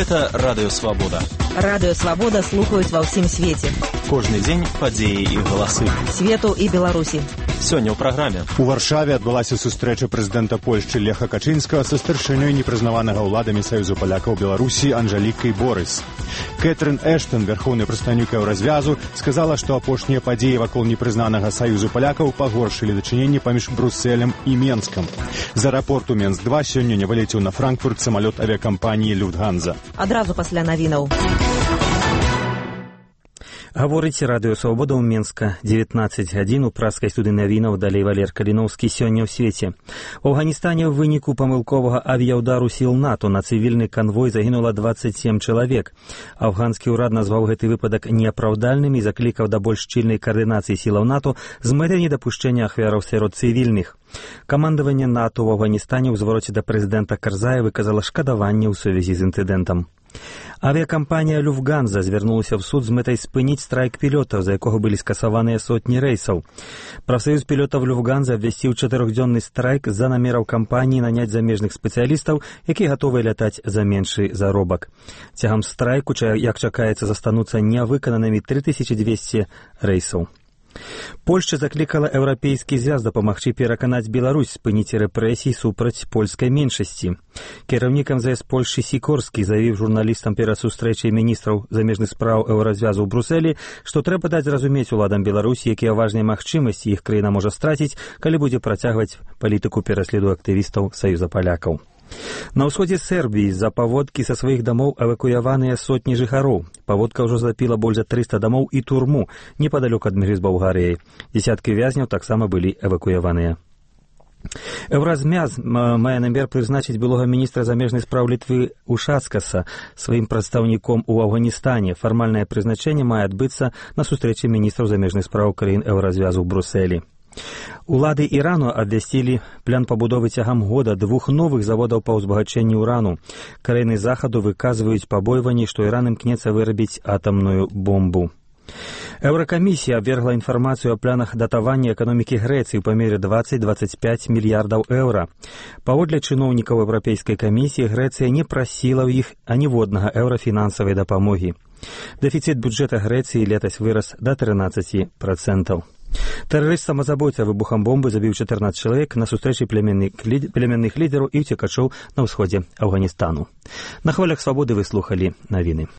Гэта Радыё Свабода. Радыё Свабода слухаюць ва ўсім свеце. Кожны дзень падзеі і галасы. Свету і Беларусі. Сёння ў праграме. У Варшаве адбылася сустрэча прэзідэнта Польшчы Леха Качынскага са старшынёй непрызнаванага ўладамі Саюзу палякаў Беларусі Анжалікай Борыс. Кэтрын Эштон, вярхоўны прадстаўнік еўразвязу, сказала, што апошнія падзеі вакол непрызнанага Саюзу палякаў пагоршылі дачыненні паміж Брусэлем і Менскам. З аэрапорту Менск-2 сёння не вылецеў на Франкфурт самалёт авіякампаніі «Люфтганза». Адразу пасля навінаў. Гаворыць Радыё Свабода ў Менска. 19 гадзін у праскай студыі навінаў, далей Валер Каліноўскі. Сёння ў свеце. У Афганістане ў выніку памылковага авіяўдару сіл НАТО на цывільны канвой загінула 27 чалавек. Афганскі ўрад назваў гэты выпадак неапраўдальным і заклікаў да больш шчыльнай каардынацыі сілаў НАТО з мэтай недапушчэння ахвяраў сярод цывільных. Камандаванне НАТО ў Афганістане ў звароце да прэзідэнта Карзая выказала шкадаванне ў сувязі з інцыдэнтам. Авіякампанія «Люфтганза» звярнулася ў суд з мэтай спыніць страйк пілётаў, за якога былі скасаваныя сотні рэйсаў. Прафсаюз пілётаў «Люфтганза» абвясціў 4-дзённы страйк з-за намераў кампаніі наняць замежных спецыялістаў, якія гатовыя лятаць за меншы заробак. Цягам страйку, як чакаецца, застануцца нявыкананымі 3200 рэйсаў. Польшча заклікала Еўрапейскі звяз дапамагчы пераканаць Беларусь спыніць рэпрэсій супраць польскай меншасці. Кіраўнік МЗС Польшчы Сікорскі заявіў журналістам перад сустрэчай міністраў замежных спраў еўразвязу ў Брусэлі, што трэба даць зразумець уладам Беларусі, якія важныя магчымасці іх краіна можа страціць, калі будзе працягваць палітыку пераследу актывістаў Саюза палякаў. На ўсходзе Сербіі з-за паводкі са сваіх дамоў эвакуяваныя сотні жыхароў. Паводка ўжо затапіла больш за 300 дамоў і турму непадалёк ад мяжы з Балгарыяй. Дзесяткі вязняў таксама былі эвакуяваныя. Еўразмяз мае намер прызначыць былога міністра замежных спраў Літвы Ушацкаса сваім прадстаўніком у Афганістане. Фармальнае прызначэнне мае адбыцца на сустрэчы міністраў замежных спраў краін еўразвязу ў Брусэлі. Улады Ірану абвясцілі план пабудовы цягам года 2 новых заводаў па ўзбагачэнні ўрану. Краіны захаду выказваюць пабойванні, што Іран імкнецца вырабіць атамную бомбу. Еўракамісія абвергла інфармацыю о планах датавання эканомікі Грэцыі ў памере 20-25 мільярдаў еўра. Паводле чыноўнікаў Еўрапейскай камісіі, Грэцыя не прасіла ў іх аніводнага еўра фінансавай дапамогі. Дэфіцыт бюджэта Грэцыі летась вырас да 13%. Тэрарыст-самазабойца выбухам бомбы забіў 14 чалавек на сустрэчы племянных лідараў і ўцекачоў на ўсходзе Афганістану. На хвалях Свабоды вы слухалі навіны.